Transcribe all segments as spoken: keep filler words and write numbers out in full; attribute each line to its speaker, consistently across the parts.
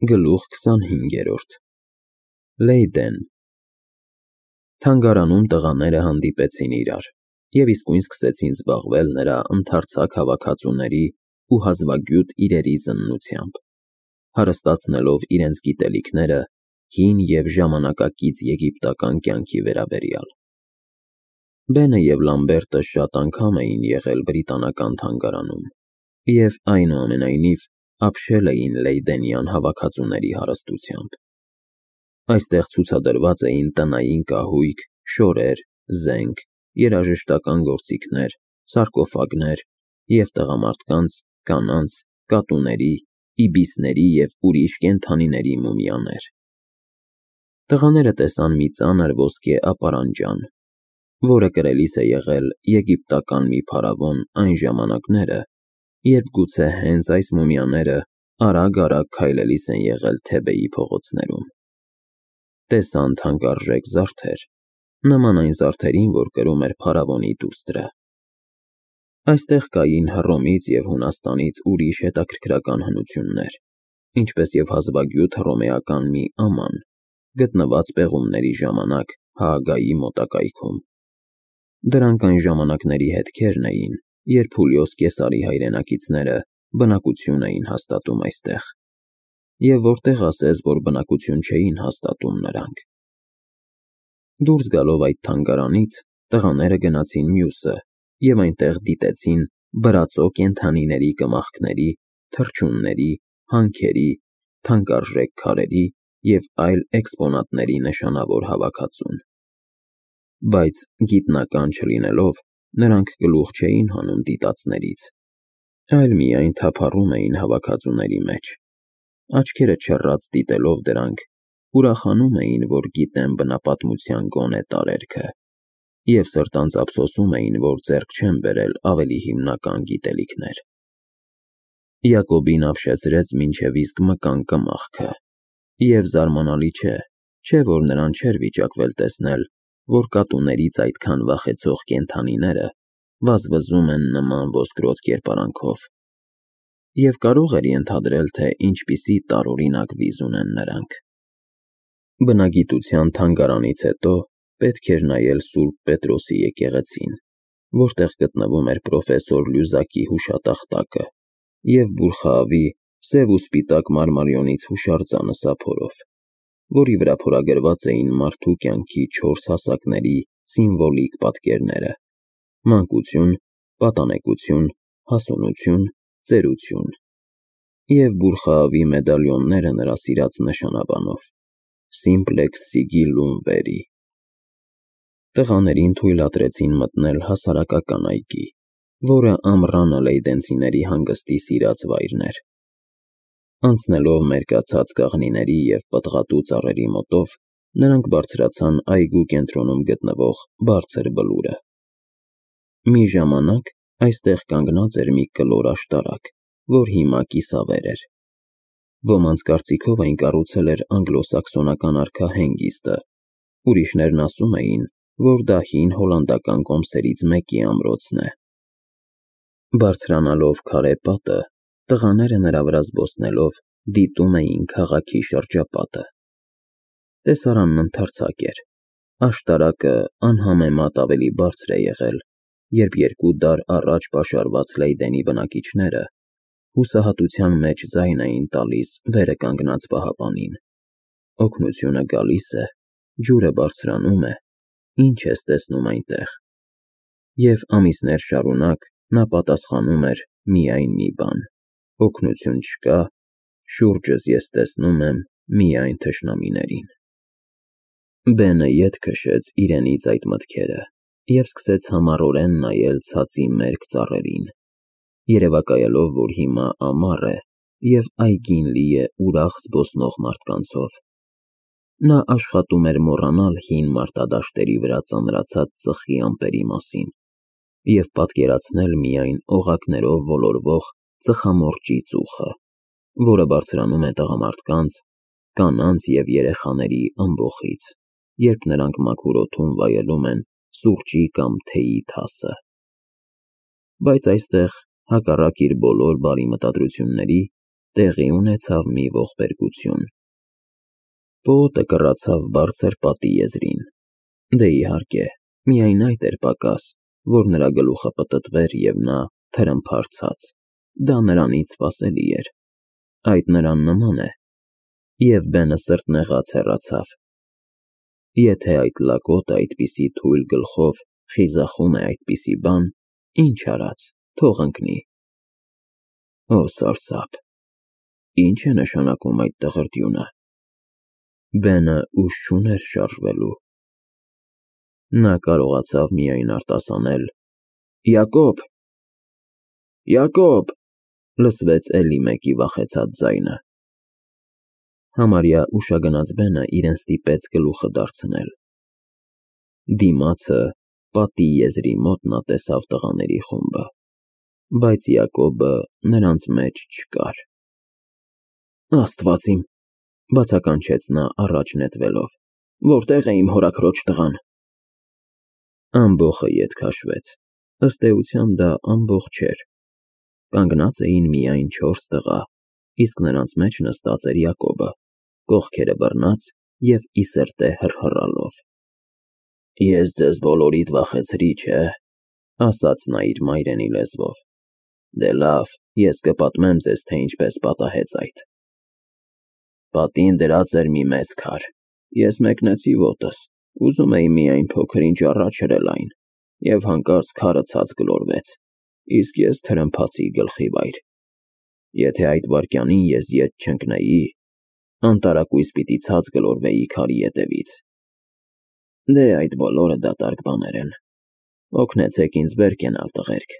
Speaker 1: Գլուխ քսանհինգերորդ Լեյդեն Թանգարանում տղաները հանդիպեցին իրար և իսկույն սկսեցին զբաղվել նրա ընդարձակ հավաքածուների ու հազվագյուտ իրերի զննությամբ, հարստացնելով իրենց գիտելիքները հին և ժամանակակից եգիպտական կյանքի վերաբերյալ։ Բենը և Լամբերտը շատ անգամ էին եղել Բրիտանական թանգարանում և, այնուամենայնիվ, ապշել էին լեյդենյան հավաքածուների հարստությամբ։ Այստեղ ցուցադրված էին տնային կահույք, շորեր, զենք, երաժշտական գործիքներ, սարկոֆագներ և տղամարդկանց, կանանց, կատուների, իբիսների և ուրիշ կենդանիների մումիաներ։ Տղաները տեսան մի ծանր ոսկե ապարանջան, որը կրելիս է եղել եգիպտական մի փարավոն այն ժամանակները, երբ գուցե հենց այս մումիաները արագ-արագ քայլելիս են եղել Թեբեի փողոցներում։ Տեսան թանկարժեք զարդեր, նման այն զարդերին, որ կրում էր փարավոնի դուստրը։ Այստեղ կային Հռոմից և Հունաստանից ուրիշ հետաքրքրական հնություններ, ինչպես և հազվագյուտ հռոմեական մի աման, գտնված պեղումների ժամանակ Հաագայի մոտակայքում։ Դրանք այն ժամանակների հետքերն էին, երբ Հուլիոս Կեսարի հայրենակիցները բնակություն էին հաստատում այստեղ, և որտեղ ասես, որ բնակություն չէին հաստատում նրանք։ Դուրս գալով այդ թանգարանից, տղաները գնացին մյուսը և այնտեղ դիտեցին բրածո կենդանիների կմախքների, թռչունների, հանքերի, թանկարժեք քարերի և այլ էքսպոնատների նշանավոր հավաքածուն։ Բայց, գիտնական չլինելով, նրանք գլուխ չէին հանում դիտածներից, այլ միայն թափառում էին հավաքածուների մեջ, աչքերը չռած դիտելով դրանք, ուրախանում էին, որ գիտեն բնապատմության գոնե տարերքը, և սրտանց ափսոսում էին, որ ձեռք չեն բերել ավելի հիմնական գիտելիքներ։ Յակոբին ապշեցրեց մինչև իսկ մկան կմախքը, և զարմանալի չէ, չէ՞ որ նրան չէր վիճակվել տեսնել, որ կատուներից այդքան վախեցող կենդանիները վազվզում են նման ոսկրոտ կերպարանքով, և կարող էր ենթադրել, թե ինչպիսի տարօրինակ վիզ ունեն նրանք։ Բնագիտության թանգարանից հետո պետք էր նայել Սուրբ Պետրոսի եկեղեցին, որտեղ գտնվում էր պրոֆեսոր Լյուզակի հուշատախտակը և Բուրխաավի սև ու սպիտակ մարմարիոնից հուշարձանը սափորով, որի վրա փորագրված էին մարդու կյանքի չորս հասակների սիմվոլիկ պատկերները՝ մանկություն, պատանեկություն, հասունություն, ծերություն, և Բուրխաավի մեդալիոնները նրա սիրած նշանաբանով՝ Simplex Sigillum Veri։ Տղաներին թույլատրեցին մտնել հասարակական այգի, որը ամռանը լեյդենցիների հանգստի սիրած վայրն էր։ Անցնելով մերկացած կաղնիների և պտղատու ծառերի մոտով, նրանք բարձրացան այգու կենտրոնում գտնվող բարձր բլուրը։ Մի ժամանակ այստեղ կանգնած էր մի կլոր աշտարակ, որ հիմա կիսավեր էր։ Ոմանց կարծիքով այն կառուցել էր անգլոսաքսոնական արքա Հենգիստը, ուրիշներն ասում էին, որ դա հին հոլանդական կոմսերից մեկի ամրոցն է։ Բարձրանալով քարե պատը, տղաները նրա վրա զբոսնելով դիտում էին քաղաքի շրջապատը։ Տեսարանն ընդարձակ էր, աշտարակը անհամեմատ ավելի բարձր է եղել, երբ երկու դար առաջ պաշարված Լեյդենի բնակիչները հուսահատության մեջ ձայն էին տալիս վերը կանգնած պահապանին. «Օգնությունը գալիս է, ջուրը բարձրանում է, ի՞նչ ես տեսնում այնտեղ»։ Եվ ամիսներ շարունակ նա պատասխանում էր միայն մի բան. «Օգնություն չկա, շուրջս ես տեսնում եմ միայն թշնամիներին»։ Բենը ետ քշեց իրենից այդ մտքերը և սկսեց համառորեն նայել ցածի մերկ ծառերին, երևակայելով, որ հիմա ամառ է և այգին լի է ուրախ զբոսնող մարդկանցով։ Նա աշխատում էր մոռանալ հին մարտադաշտերի վրա ծանրացած ծխի ամպերի մասին և պատկերացնել միայն օղակներով ոլորվող ծխամորճի ծուխը, որը բարձրանում է տղամարդկանց, կանանց և երեխաների ըմբոխից, երբ նրանք մաքուր օդում վայելում են սուրճի կամ թեյի թասը։ Բայց այստեղ, հակառակ իր բոլոր բարի մտադրությունների, տեղի ունեցավ մի ողբերգություն։ Պողոտը կռացավ բարձր պատի եզրին, դե իհարկե, միայն այդ էր պակաս, որ նրա գլուխը պտտվեր և նա թրմփարցաց, դա նրանից սպասելի էր, այդ նրան նման է, և բենը սրտնեղած հեռացավ։ Եթե այդ լակոտը այդպիսի թույլ գլխով խիզախում է այդպիսի բան, ինչ արած, թող ընկնի։ Օ սարսափ, ի՞նչ է նշանակում այդ տղրտյունը։ Բենը ուժ չուներ շարժվելու։ Նա կարողացավ միայն արտասանել. «Յակոբ, Յակոբ», լսվեց էլի մեկի վախեցած ձայնը։ Համարյա ուշագնաց բենը իրեն ստիպեց գլուխը դարձնել։ Դիմացը, պատի եզրի մոտ նա տեսավ տղաների խումբը, բայց Յակոբը նրանց մեջ չկար։ Աստված իմ, բացականչեց նա առաջ նետվելով, որտե՞ղ է իմ հորաքրոջ տղան։ Ամբոխը ետ քաշվեց, ըստ էության դա ամբոխ չէր։ Կանգնած էին միայն չորս տղա, իսկ նրանց մեջ նստած էր Յակոբը, կողքերը բռնած և ի սրտե հռհռալով։ Ես ձեզ բոլորիդ վախեցրի, չէ՞, ասաց նա իր մայրենի լեզվով։ Դե լավ, ես կպատմեմ ձեզ, թե ինչպես պատահեց այդ։ Պատին դրած էր մի մեծ քար, ես մեկնեցի ոտս, ուզում էի միայն փոքր-ինչ առաջ հրել այն, և հանկարծ քարը ցած գլորվեց, իսկ ես թրմփացի գլխի վայր։ Եթե այդ վայրկյանին ես ետ չընկնեի, անտարակույս պիտի ցած գլորվեի քարի ետևից։ Դե այդ բոլորը դատարկ բաներ են, օգնեցեք ինձ վեր կենալ, տղերք։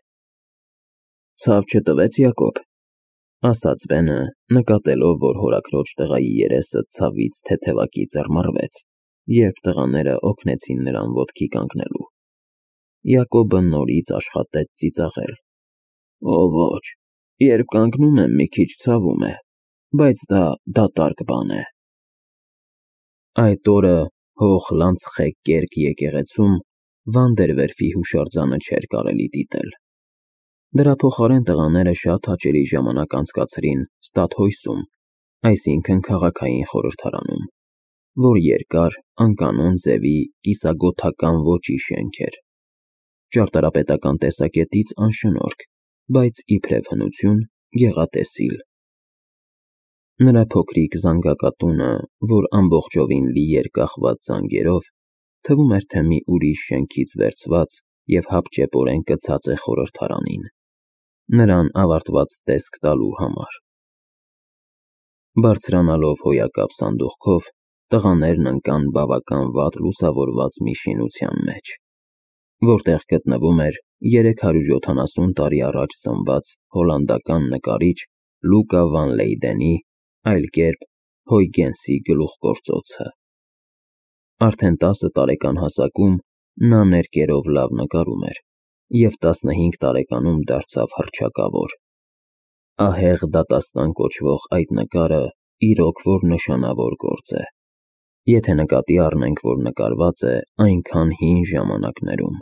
Speaker 1: Ցավ չտվեց Յակոբ, ասաց բենը, նկատելով, որ հորաքրոջ տղայի երեսը ցավից թեթևակի ծռմռվեց, երբ տղաները օգնեցին նրան ոտքի կանգնելու։ Յակոբը նորից աշխատեց ծիծաղել։ Օ ոչ, երբ կանգնում եմ, մի քիչ ցավում է, բայց դա դատարկ բան է։ Այդ օրը հող Լանցխեք կերկ եկեղեցում Վանդերվերֆի հուշարձանը չէր կարելի դիտել։ Դրա փոխարեն տղաները շատ հաճելի ժամանակ անցկացրին Ստադհոյսում, այսինքն քաղաքային խորհրդարանում, որ երկար, անկանոն ձևի կիսագոթական ոճի շենք էր, ճարտարապետական տեսակետից անշնորհք, բայց իբրև հնություն գեղատեսիլ։ Նրա փոքրիկ զանգակատունը, որ ամբողջովին լի էր կախված զանգերով, թվում էր, թե մի ուրիշ շենքից վերցված և հապճեպորեն կցած է խորհրդարանին, նրան ավարտված տեսք տալու համար։ Բարձրանալով հոյակապ սանդուղքով, տղաներն ընկան բավական վատ լուսավորված մի շինության մեջ, որտեղ գտնվում էր երեք հարյուր յոթանասուն տարի առաջ ծնված հոլանդական նկարիչ Լուկա վան Լեյդենի, այլ կերպ Հոյգենսի գլուխգործոցը։ Արդեն տասը տարեկան հասակում նա ներկերով լավ նկարում էր և տասնհինգ տարեկանում դարձավ հռչակավոր։ Ահեղ դատաստան կոչվող այդ նկարը իրոք որ նշանավոր գործ է, եթե նկատի առնենք, որ նկարված է այնքան հին ժամանակներում։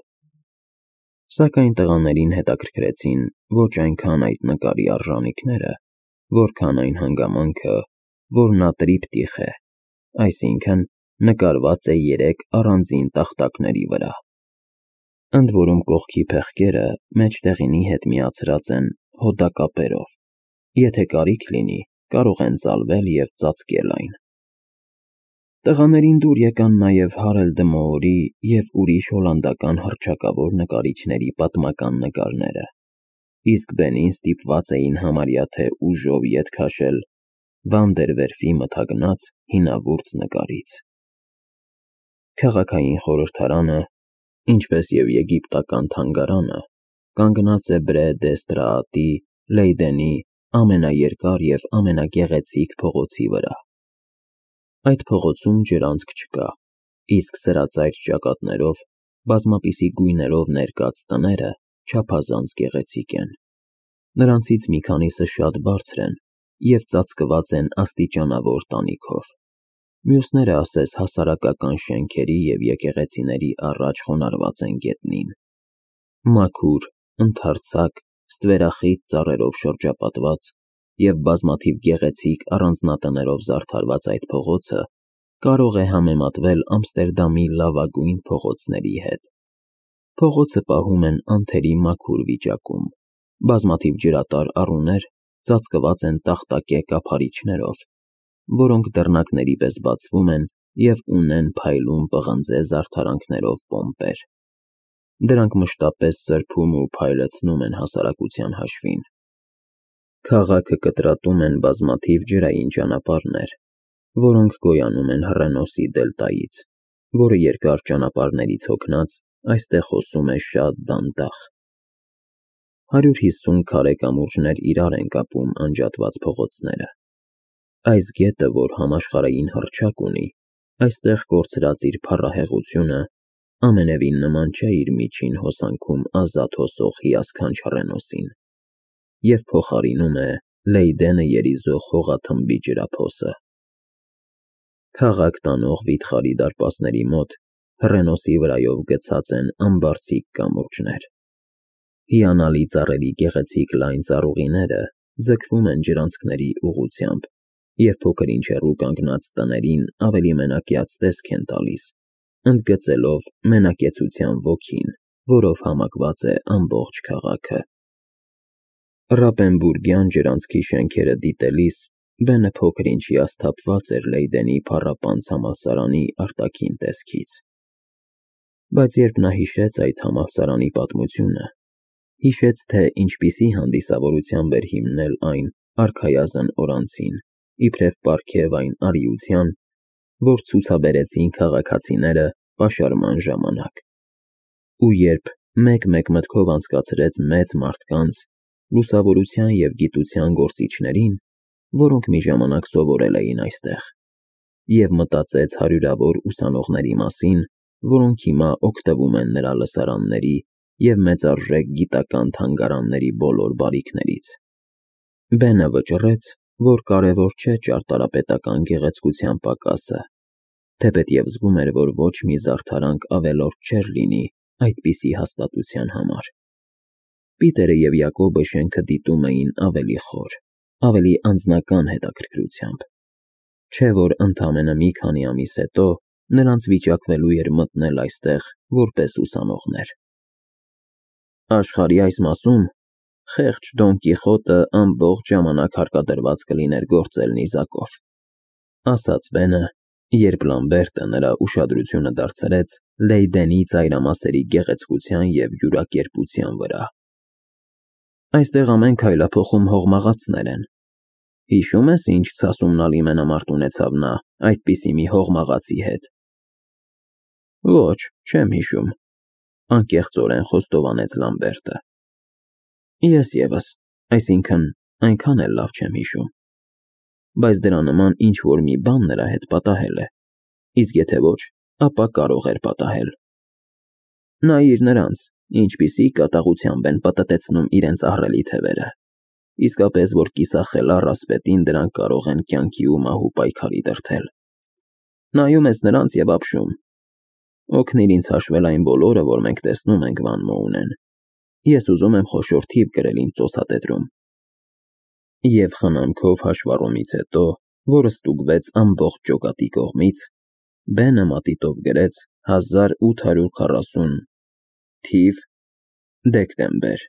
Speaker 1: Սակայն տղաներին հետաքրքրեցին ոչ այնքան այդ նկարի արժանիքները, որքան այն հանգամանքը, որ նա տրիպտիխ է, այսինքն նկարված է երեք առանձին տախտակների վրա։ Ընդ որում կողքի փեղկերը մեջտեղինի հետ միացրած են հոդակապերով, եթե կարիք լինի, կարող են ծալվել և ծածկել այն։ Տղաներին դուր եկան նաև Հարել դը Մոորի և ուրիշ հոլանդական հռչակավոր նկարիչների պատմական նկարները, իսկ բենին ստիպված էին համարյա թե ուժով ետ քաշել Վանդերվերֆի մթագնած հինավուրց նկարից։ Քաղաքային խորհրդարանը, ինչպես և եգիպտական թանգարանը, կանգնած է Բրե դե Ստրաատի Լեյդենի ամենաերկար և ամենագեղեցիկ փողոցի վրա։ Այդ փողոցում ջրանցք չկա, իսկ սրածայր ճակատներով, բազմապիսի գույներով ներկած տները չափազանց գեղեցիկ են։ Նրանցից մի քանիսը շատ բարձր են և ծածկված են աստիճանավոր տանիքով, մյուսները ասես հասարակական շենքերի և եկեղեցիների առաջ խոնարհված են գետնին։ Մաքուր, ընդարձակ, ստվերախիտ ծառերով շրջապատված, և բազմաթիվ գեղեցիկ առանձնատներով զարդարված այդ փողոցը կարող է համեմատվել Ամստերդամի լավագույն փողոցների հետ։ Փողոցը պահում են անթերի մաքուր վիճակում, բազմաթիվ ջրատար առուներ ծածկված են տախտակե կափարիչներով, որոնք դռնակների պես բացվում են և ունեն փայլուն պղնձե զարդարանքներով պոմպեր։ Դրանք մշտապես սրբում ու փայլեցնում են հասարակության հաշվին։ Քաղաքը կտրատում են բազմաթիվ ջրային ճանապարհներ, որոնք գոյանում են Հռենոսի դելտայից, որը երկար ճանապարհներից հոգնած այստեղ հոսում է շատ դանդաղ։ Հարյուր հիսուն քարե կամուրջներ իրար են կապում անջատված փողոցները։ Այս գետը, որ համաշխարհային հռչակ ունի, այստեղ կորցրած իր փառահեղությունը, ամենևին նման չէ իր միջին հոսանքում ազատ հոսող հիասքանչ Հռենոսին և փոխարինում է Լեյդենը երիզող հողաթմբի ջրափոսը։ Քաղաք տանող վիթխարի դարպասների մոտ Հռենոսի վրայով գցած են ամբարձիկ կամուրջներ։ Հիանալի ծառերի գեղեցիկ լայն ծառուղիները ձգվում են ջրանցքների ուղղությամբ և փոքր-ինչ հեռու կանգնած տներին ավելի մենակյաց տեսք են տալիս, ընդգծելով մենակեցության ոգին, որով համակված է ամբողջ քաղաքը։ Ռապենբուրգյան ջրանցքի շենքերը դիտելիս Բենը փոքր-ինչ հիասթափված էր Լեյդենի փառապանծ համալսարանի արտաքին տեսքից։ Բայց երբ նա հիշեց այդ համալսարանի պատմությունը, հիշեց, թե ինչպիսի հանդիսավորությամբ էր հիմնել այն արքայազն օրացին, իբրև պարգև այն արիության, որ ցուցաբերեցին քաղաքացիները պաշարման ժամանակ, ու երբ մեկ-մեկ մտքով անցկացրեց մեծ մարդկանց, լուսավորության և գիտության գործիչներին, որոնք մի ժամանակ սովորել էին այստեղ, և մտածեց հարյուրավոր ուսանողների մասին, որոնք հիմա օգտվում են նրա լսարանների և մեծարժեք գիտական թանգարանների բոլոր բարիքներից, Բենը վճռեց, որ կարևոր չէ ճարտարապետական գեղեցկության պակասը, թեպետև զգում էր, որ ոչ մի զարդարանք ավելորդ չէր լինի այդպիսի հաստատության համար։ Պիտերը և Յակոբը շենքը դիտում էին ավելի խոր, ավելի անձնական հետաքրքրությամբ, չէ՞ որ ընդամենը մի քանի ամիս հետո նրանց վիճակվելու էր մտնել այստեղ որպես ուսանողներ։ Աշխարհի այս մասում խեղճ Դոն Կիխոտը ամբողջ ժամանակ հարկադրված կլիներ գործել նիզակով, ասաց Բենը, երբ Լամբերտը նրա ուշադրությունը դարձրեց Լեյդենի ծայրամասերի գեղեցկության և յուրակերպության վրա։ Այստեղ ամեն քայլափոխում հողմաղացներ են։ Հիշո՞ւմ ես, ինչ ցասումնալի մենամարտ ունեցավ նա այդպիսի մի հողմաղացի հետ։ Ոչ, չեմ հիշում, անկեղծորեն խոստովանեց Լամբերտը։ Ես ևս, այսինքն, այնքան էլ լավ չեմ հիշում, բայց դրա նման ինչ-որ մի բան նրա հետ պատահել է, իսկ եթե ոչ, ապա կարող էր պատահել։ Նայիր նրանց, ինչպիսի կատաղությամբ են պտտեցնում իրենց ահռելի թևերը, իսկապես որ կիսախելառ ասպետին դրանք կարող են կյանքի ու մահու պայքարի դրդել։ Նայում ես նրանց և ապշում։ Օգնիր ինձ հաշվել այն բոլորը, որ մենք տեսնում ենք Վան Մոունեն։ Ես ուզում եմ խոշոր թիվ գրել իմ ծոցատետրում։ Եվ խնամքով հաշվառումից հետո, որը ստուգվեց ամբողջ ջոկատի կողմից, Բենը մատիտով գրեց հազար ութ հարյուր քառասուն թիվ դեկտեմբեր։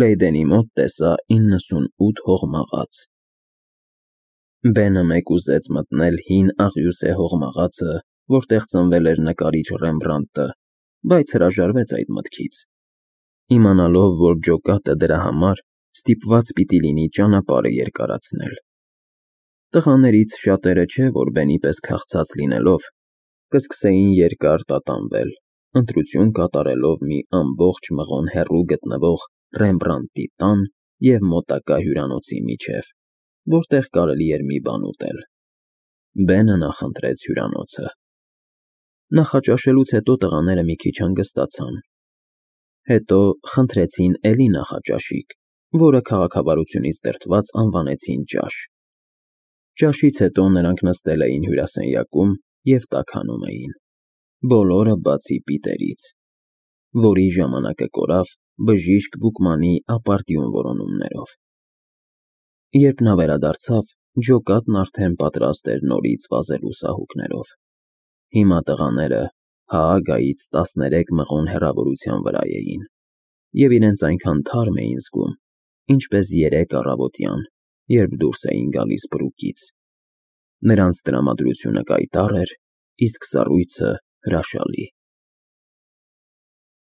Speaker 1: Լեյդենի մոտ տեսա իննսունութ հողմաղաց։ Բենը մեկուզեց մտնել հին աղյուսե հողմաղացը, որտեղ ծնվել էր նկարիչ Ռեմբրանդտը, բայց հրաժարվեց այդ մտքից, իմանալով, որ ջոկատը դրա համար ստիպված պիտի լինի ճանապարհը երկարացնել։ Տղաներից շատերը չէ, որ Բենի պես քաղցած լինելով, կսկսեին երկար տատանվել, ընտրություն կատարելով մի ամբողջ մղոն հեռու գտնվող Ռեմբրանդտի տան և մոտակա հյուրանոցի միջև, որտեղ կարելի էր մի բան ուտել։ Բենը նախընտրեց հյուրանոցը։ Նախաճաշելուց հետո տղաները մի քիչ հանգստացան։ Հետո խնդրեցին էլի նախաճաշիկ, որը քաղաքավարությունից դրդված անվանեցին ճաշ։ Ճաշից հետո նրանք նստել էին հյուրասենյակում և տաքանում էին, բոլորը բացի Պիտերից, որի ժամանակը կորավ բժիշկ Բուկմանի ապարդյուն որոնումներով։ Երբ նա վերադարձավ, ջոկատն արդեն պատրաստ էր նորից վազելու սահուկներով։ Հիմա տղաները Հաագայից տասներեք մղոն հեռավորության վրա էին, և իրենց այնքան թարմ էին զգում, ինչպես երեկ առավոտյան, երբ դուրս էին գալիս բռուկից։ Նրանց տրամադրությունը կայտառ էր, իսկ սառույցը՝ հրաշալի։